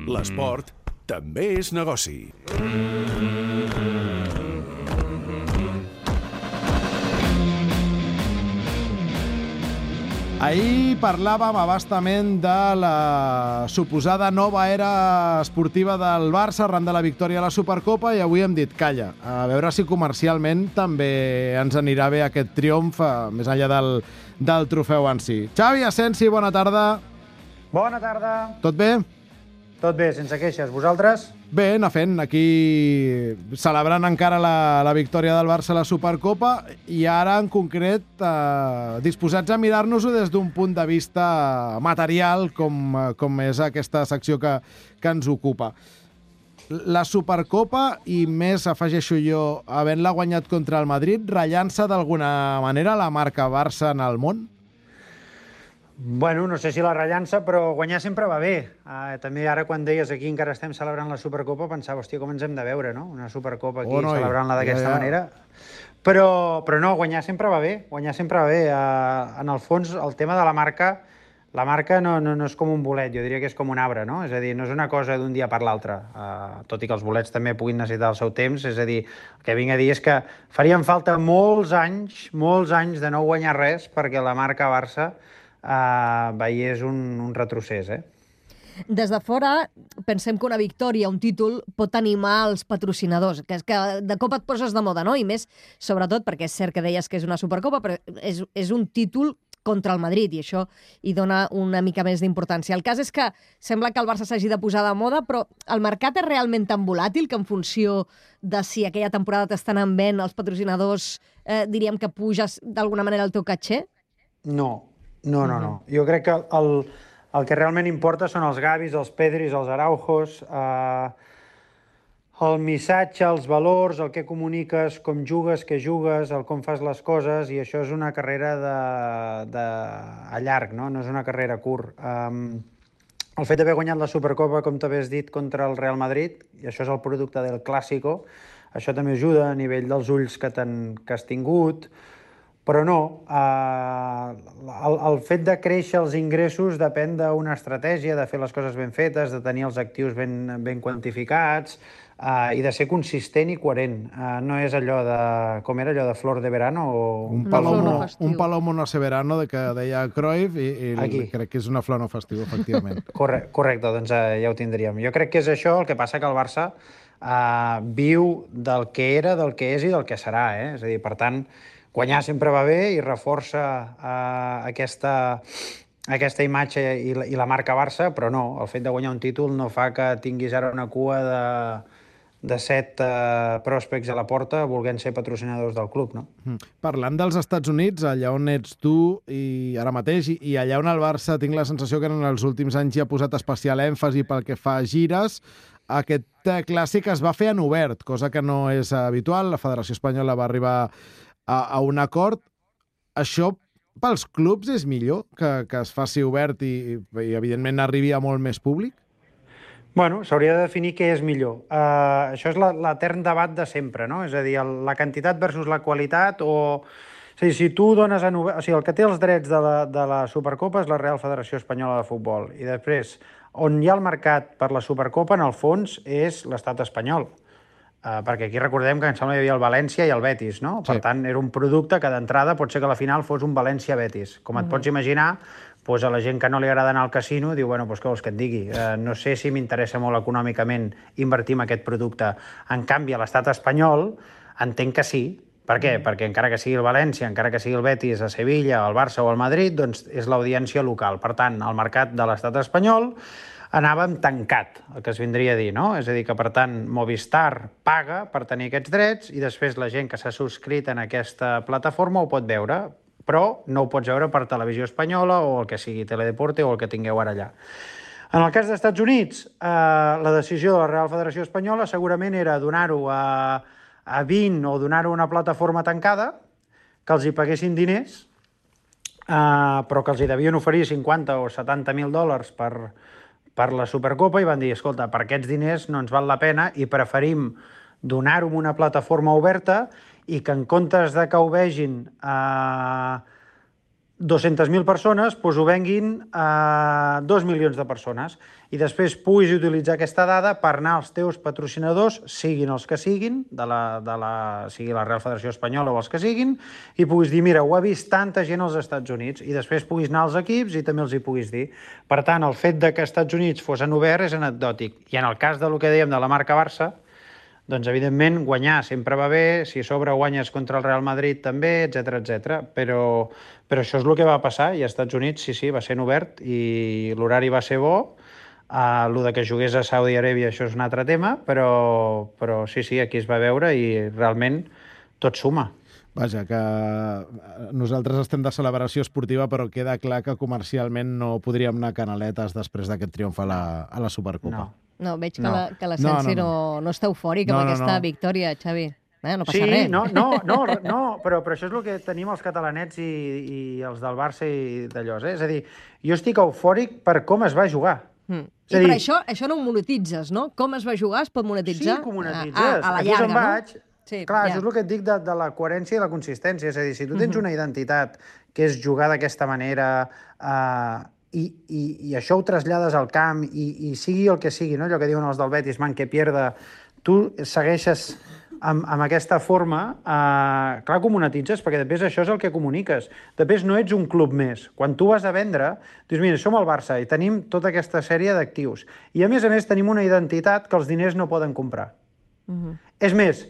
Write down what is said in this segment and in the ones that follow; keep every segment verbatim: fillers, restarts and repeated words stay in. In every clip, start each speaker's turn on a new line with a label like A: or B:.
A: L'esport també és negoci.
B: Ahir parlàvem abastament de la suposada nova era esportiva del Barça arran de la victòria a la Supercopa i avui hem dit, calla, a veure si comercialment també ens anirà bé aquest triomf més enllà del, del trofeu en si. Xavi Asensi, bona tarda.
C: Bona tarda.
B: Tot bé?
C: Tot bé, sense queixes. Vosaltres?
B: Bé, anar fent, aquí celebrant encara la, la victòria del Barça a la Supercopa i ara en concret eh, disposats a mirar-nos-ho des d'un punt de vista material com, com és aquesta secció que, que ens ocupa. La Supercopa, i més afegeixo jo, havent-la guanyat contra el Madrid, rellança d'alguna manera la marca Barça en el món?
C: Bueno, no sé si la rellança, però guanyar sempre va bé. Uh, també ara, quan deies aquí encara estem celebrant la Supercopa, pensava, hòstia, com ens hem de veure, no? Una Supercopa aquí, oh, no, celebrant-la d'aquesta ja, ja. manera. Però, però no, guanyar sempre va bé. Guanyar sempre va bé. Uh, en el fons, el tema de la marca, la marca no, no, no és com un bolet, jo diria que és com un arbre, no? És a dir, no és una cosa d'un dia per l'altre. Uh, tot i que els bolets també puguin necessitar el seu temps, és a dir, el que vinc a dir és que farien falta molts anys, molts anys de no guanyar res perquè la marca Barça Uh, veiés un, un retrocés, eh?
D: Des de fora pensem que una victòria, un títol, pot animar els patrocinadors, que és que de cop et poses de moda, no? I més, sobretot, perquè és cert que deies que és una Supercopa, però és, és un títol contra el Madrid, i això hi dona una mica més d'importància. El cas és que sembla que el Barça s'hagi de posar de moda, però el mercat és realment tan volàtil que en funció de si aquella temporada t'estan en vent els patrocinadors, eh, diríem que puges d'alguna manera el teu caché?
C: No. No, no, no. Jo crec que el, el que realment importa són els Gavis, els Pedris, els Araujos, eh, el missatge, els valors, el que comuniques, com jugues, què jugues, el com fas les coses, i això és una carrera de, de, a llarg, no? No és una carrera curt. Um, el fet d'haver guanyat la Supercopa, com t'havies dit, contra el Real Madrid, i això és el producte del Clásico, això també ajuda a nivell dels ulls que, que has tingut. Però no, eh, el, el fet de créixer els ingressos depèn d'una estratègia, de fer les coses ben fetes, de tenir els actius ben, ben quantificats eh, i de ser consistent i coherent. Eh, no és allò de... com era allò de flor de verano? O...
B: Un palomo, un palomo no sé verano, de que deia Cruyff, i, i crec que és una flor no festiu, efectivament.
C: Corre, correcte, doncs eh, ja ho tindríem. Jo crec que és això, el que passa que el Barça eh, viu del que era, del que és i del que serà. Eh? És a dir, per tant, guanyar sempre va bé i reforça uh, aquesta, aquesta imatge i la, i la marca Barça, però no, el fet de guanyar un títol no fa que tinguis ara una cua de, de set uh, pròspects a la porta volent ser patrocinadors del club, no?
B: Mm. Parlant dels Estats Units, allà on ets tu i ara mateix, i, i allà on el Barça tinc la sensació que en els últims anys hi ha posat especial èmfasi pel que fa a gires, aquest clàssic es va fer en obert, cosa que no és habitual. La Federació Espanyola va arribar a, a un acord. Això pels clubs és millor que, que es faci obert i, i evidentment arribi a molt més públic?
C: Bueno, s'hauria de definir què és millor. Uh, això és l'etern debat de sempre, no? És a dir, el, la quantitat versus la qualitat, o... És a dir, si tu dones en obert... O sigui, el que té els drets de la, de la Supercopa és la Real Federació Espanyola de Futbol. I després, on hi ha el mercat per la Supercopa, en el fons, és l'estat espanyol. Uh, perquè aquí recordem que em sembla que hi havia el València i el Betis, no? Per sí. tant, era un producte que d'entrada pot ser que a la final fos un València-Betis. Com et mm-hmm. pots imaginar, doncs a la gent que no li agrada anar al casino diu, bueno, doncs què vols que et digui? Uh, no sé si m'interessa molt econòmicament invertir en aquest producte. En canvi, a l'estat espanyol entenc que sí. Per què? Mm. Perquè encara que sigui el València, encara que sigui el Betis, a Sevilla, el Barça o el Madrid, doncs és l'audiència local. Per tant, el mercat de l'estat espanyol anàvem tancat, el que es vindria a dir, no? És a dir, que, per tant, Movistar paga per tenir aquests drets i després la gent que s'ha subscrit en aquesta plataforma ho pot veure, però no ho pots veure per Televisió Espanyola o el que sigui Teledeporte o el que tingueu ara allà. En el cas dels Estats Units, eh, la decisió de la Real Federació Espanyola segurament era donar-ho a, a vint o donar-ho a una plataforma tancada, que els hi paguessin diners, eh, però que els hi devien oferir cinquanta o setanta mil dòlars per... per la Supercopa, i van dir, escolta, per aquests diners no ens val la pena i preferim donar-ho a una plataforma oberta i que en comptes de que ho vegin eh, dues-centes mil persones doncs ho venguin a dos milions de persones i després puguis utilitzar aquesta dada per anar als teus patrocinadors, siguin els que siguin, de la, de la, sigui la Real Federació Espanyola o els que siguin, i puguis dir, mira, ho ha vist tanta gent als Estats Units, i després puguis anar als equips i també els hi puguis dir. Per tant, el fet de que als Estats Units fossin oberts és anecdòtic. I en el cas del que dèiem de la marca Barça, doncs, evidentment, guanyar sempre va bé, si a sobre guanyes contra el Real Madrid també, etcètera, etcètera. Però, però això és el que va passar, i als Estats Units, sí, sí, va ser obert, i l'horari va ser bo. Uh, el de que jugués a Saudi Aràbia, això és un altre tema, però, però sí, sí, aquí es va veure i realment tot suma.
B: Vaja, que nosaltres estem de celebració esportiva, però queda clar que comercialment no podríem anar canaletes després d'aquest triomf a la, a la Supercopa.
C: No.
D: No, veig que
C: No.
D: la, que la Sensi no, no, no. no, no està eufòric amb
B: No, no,
D: aquesta
B: no.
D: victòria, Xavi. Eh, no passa
C: Sí,
D: res.
C: no, no, no, no però, però això és el que tenim els catalanets i, i els del Barça i d'allò. Eh? És a dir, jo estic eufòric per com es va jugar.
D: Mm.
C: És
D: I
C: a
D: per
C: dir-
D: això, això no ho monetitzes, no? Com es va jugar es pot monetitzar
C: Sí, que ho monetitzes.
D: a, a, a la
C: Aquí és
D: llarga,
C: on vaig.
D: no? Sí,
C: Clar,
D: ja.
C: això és el que et dic de, de la coherència i la consistència. És a dir, si tu tens una identitat que és jugar d'aquesta manera eh, i, i, i això ho trasllades al camp i, i sigui el que sigui, no? Allò que diuen els del Betis, man que pierda, tu segueixes amb, amb aquesta forma, eh, clar que ho monetitzes, perquè després això és el que comuniques. Després no ets un club més. Quan tu vas a vendre, dius, mira, som el Barça i tenim tota aquesta sèrie d'actius. I a més a més tenim una identitat que els diners no poden comprar.
D: Mhm.
C: És més,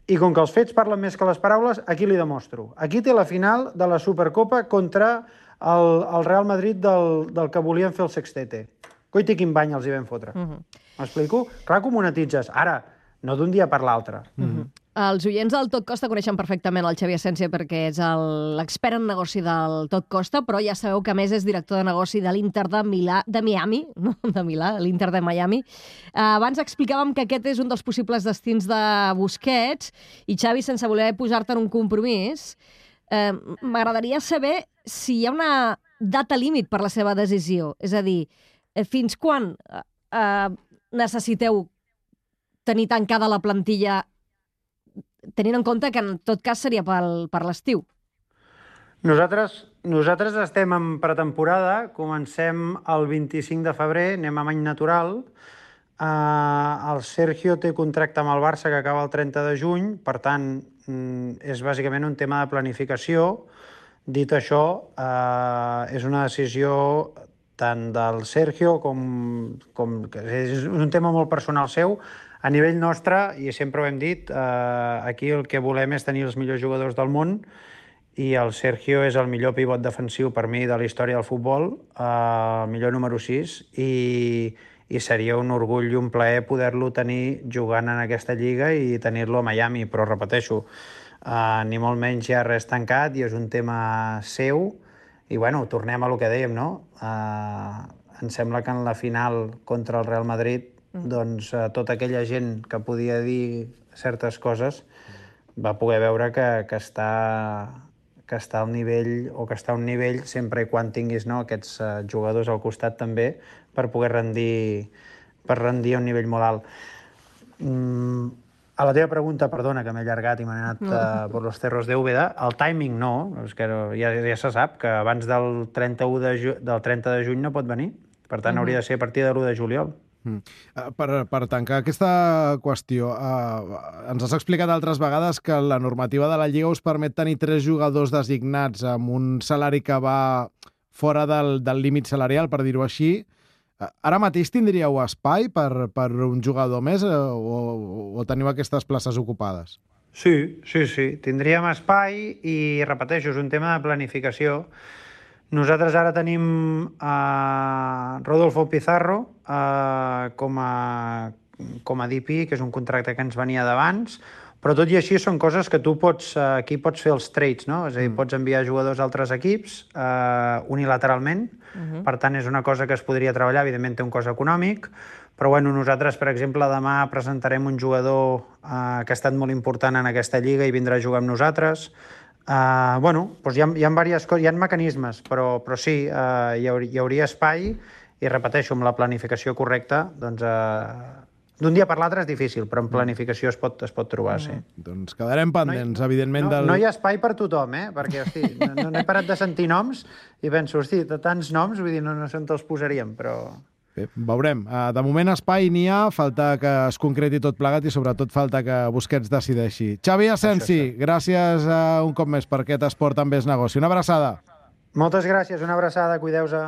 C: i com que els fets parlen més que les paraules, aquí li demostro. Aquí té la final de la Supercopa contra el, el Real Madrid del, del que volien fer el sextete. Coiti quin bany els hi vam fotre. M'explico? Clar que ho monetitzes. Ara, no d'un dia per l'altre.
D: Els oients del Tot Costa coneixen perfectament el Xavi Asensio perquè és el- l'expert en negoci del Tot Costa, però ja sabeu que a més és director de negoci de l'Inter de Milà, de Miami, no de Milà, l'Inter de Miami. Eh, abans explicàvem que aquest és un dels possibles destins de Busquets i, Xavi, sense voler posar-te en un compromís, eh, m'agradaria saber si hi ha una data límit per la seva decisió. És a dir, eh, fins quan eh, eh, necessiteu tenir tancada la plantilla tenint en compte que en tot cas seria pel, per l'estiu.
C: Nosaltres, nosaltres estem en pretemporada, comencem el vint-i-cinc de febrer, anem amb any natural. Uh, el Sergio té contracte amb el Barça que acaba el trenta de juny, per tant, mm, és bàsicament un tema de planificació. Dit això, uh, és una decisió tant del Sergio com, com... És un tema molt personal seu. A nivell nostre, i sempre ho hem dit, eh, aquí el que volem és tenir els millors jugadors del món i el Sergio és el millor pivot defensiu per mi de la història del futbol, eh, el millor número sis, i, i seria un orgull i un plaer poder-lo tenir jugant en aquesta lliga i tenir-lo a Miami, però repeteixo, eh, ni molt menys hi ha res tancat i és un tema seu i bueno, tornem a lo que dèiem, no? Eh, em sembla que en la final contra el Real Madrid doncs eh, tota aquella gent que podia dir certes coses va poder veure que, que, està, que està al nivell, o que està a un nivell sempre i quan tinguis, no, aquests eh, jugadors al costat també per poder rendir, per rendir a un nivell molt alt. Mm, a la teva pregunta, perdona, que m'he allargat i m'he anat no. uh, per los cerros de Úbeda, el timing no, és que ja, ja se sap que abans del trenta-u de ju del trenta de juny no pot venir, per tant mm-hmm. hauria de ser a partir de l'u de juliol.
B: Mm. Per, per tancar aquesta qüestió, eh, ens has explicat altres vegades que la normativa de la Lliga us permet tenir tres jugadors designats amb un salari que va fora del, del límit salarial, per dir-ho així. Ara mateix tindríeu espai per, per un jugador més eh, o, o teniu aquestes places ocupades?
C: Sí, sí, sí. Tindríem espai i, repeteixo, és un tema de planificació. Nosaltres ara tenim uh, Rodolfo Pizarro uh, com, a, com a D P, que és un contracte que ens venia d'abans, però tot i així són coses que tu pots, uh, aquí pots fer els trades, no? És a dir, mm. pots enviar jugadors a altres equips uh, unilateralment, uh-huh. per tant és una cosa que es podria treballar, evidentment té un cost econòmic, però bueno, nosaltres, per exemple, demà presentarem un jugador uh, que ha estat molt important en aquesta lliga i vindrà a jugar amb nosaltres. Uh, bueno, doncs hi ha, hi ha diverses coses, hi ha mecanismes, però, però sí, uh, hi, hauria, hi hauria espai i repeteixo, amb la planificació correcta, doncs uh, d'un dia per l'altre és difícil, però en planificació es pot, es pot trobar, sí.
B: Doncs quedarem pendents,
C: no hi,
B: evidentment.
C: No,
B: del...
C: no hi ha espai per tothom, eh? Perquè, hosti, no, no he parat de sentir noms i penso, hosti, de tants noms, vull dir, no, no sé on els posaríem, però...
B: Bé, veurem. De moment espai n'hi ha, falta que es concreti tot plegat i sobretot falta que Busquets decideixi. Xavi Asensi, gràcies uh, un cop més per aquest esport amb més negoci. Una abraçada.
C: Moltes gràcies, una abraçada, cuideu-se.